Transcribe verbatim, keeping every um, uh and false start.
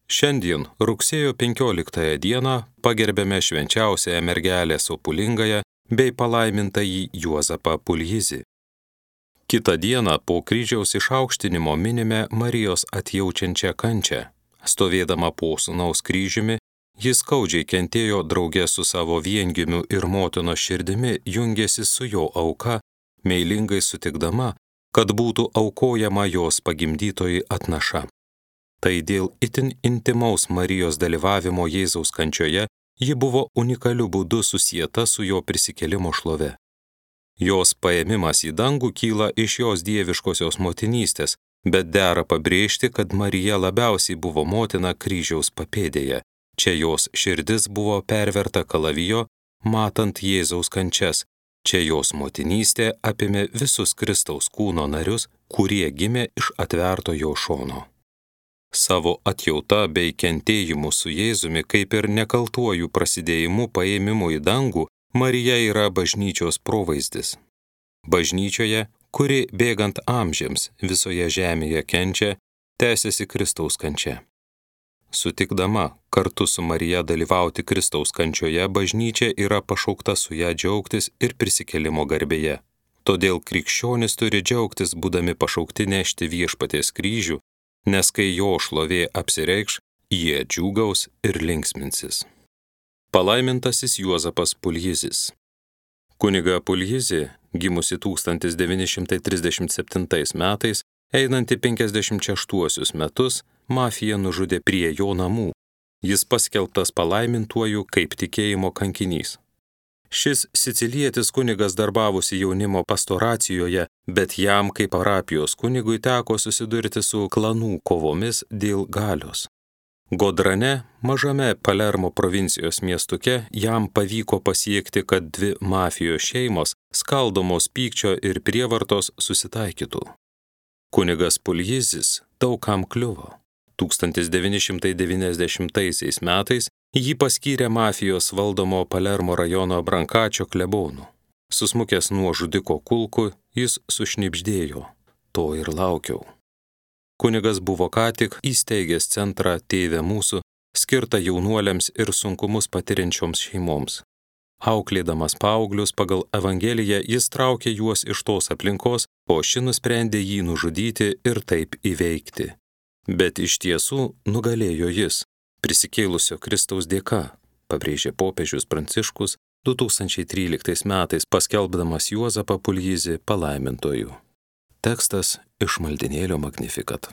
Šiandien, rugsėjo penkioliktąją dieną, pagerbėme švenčiausiąją mergelę Sopulingąją bei palaimintąjį Juozapą Puljizį. Kitą dieną po kryžiaus išaukštinimo minime Marijos atjaučiančią kančią. Stovėdama po sūnaus kryžiumi, jis skaudžiai kentėjo drauge su savo viengimiu ir motinos širdimi, jungėsi su jo auka, meilingai sutikdama, kad būtų aukojama jos pagimdytoji atnaša. Tai dėl itin intimaus Marijos dalyvavimo Jėzaus kančioje ji buvo unikaliu būdu susieta su jo prisikėlimo šlove. Jos paėmimas į dangų kyla iš jos dieviškosios motinystės, bet dera pabrėžti, kad Marija labiausiai buvo motina kryžiaus papėdėje. Čia jos širdis buvo perverta kalavijo, matant Jėzaus kančias. Čia jos motinystė apėmė visus Kristaus kūno narius, kurie gimė iš atverto jo šono. Savo atjauta bei kentėjimu su Jėzumi, kaip ir nekaltuoju prasidėjimu paėmimu į dangų, Marija yra bažnyčios provaizdis. Bažnyčioje, kuri bėgant amžiams visoje žemėje kenčia, tęsiasi Kristaus kančia. Sutikdama kartu su Marija dalyvauti Kristaus kančioje, bažnyčia yra pašaukta su ją džiaugtis ir prisikėlimo garbėje. Todėl krikščionys turi džiaugtis, būdami pašaukti nešti viešpaties kryžių, nes kai jo šlovė apsireikš, jie džiūgaus ir linksminsis. Palaimintasis Juozapas Puljizis. Kuniga Puljizį, gimusi tūkstantis devyni šimtai trisdešimt septintais metais, einanti penkiasdešimt šeštuosius metus, mafija nužudė prie jo namų. Jis paskelbtas palaimintuoju kaip tikėjimo kankinys. Šis sicilietis kunigas darbavosi jaunimo pastoracijoje, bet jam kaip parapijos kunigui teko susidurti su klanų kovomis dėl galios. Godrane, mažame Palermo provincijos miestuke, jam pavyko pasiekti, kad dvi mafijos šeimos, skaldomos pykčio ir prievartos, susitaikytų. Kunigas Puljizis daug kam kliuvo. tūkstantis devyni šimtai devyniasdešimtaisiais metais jį paskyrė mafijos valdomo Palermo rajono Brankačio klebonu. Susmukęs nuo žudiko kulkų, jis sušnibždėjo: to ir laukiau. Kunigas buvo ką tik įsteigęs centrą Tėve mūsų, skirtą jaunuoliams ir sunkumus patiriančioms šeimoms. Auklėdamas paauglius pagal Evangeliją, jis traukė juos iš tos aplinkos, o ši nusprendė jį nužudyti ir taip įveikti. Bet iš tiesų nugalėjo jis, prisikėlusio Kristaus dėka, pabrėžė popiežius Pranciškus du tūkstančiai tryliktais metais paskelbdamas Juozapą Puljizį palaimintuoju. Tekstas iš maldinėlio Magnificat.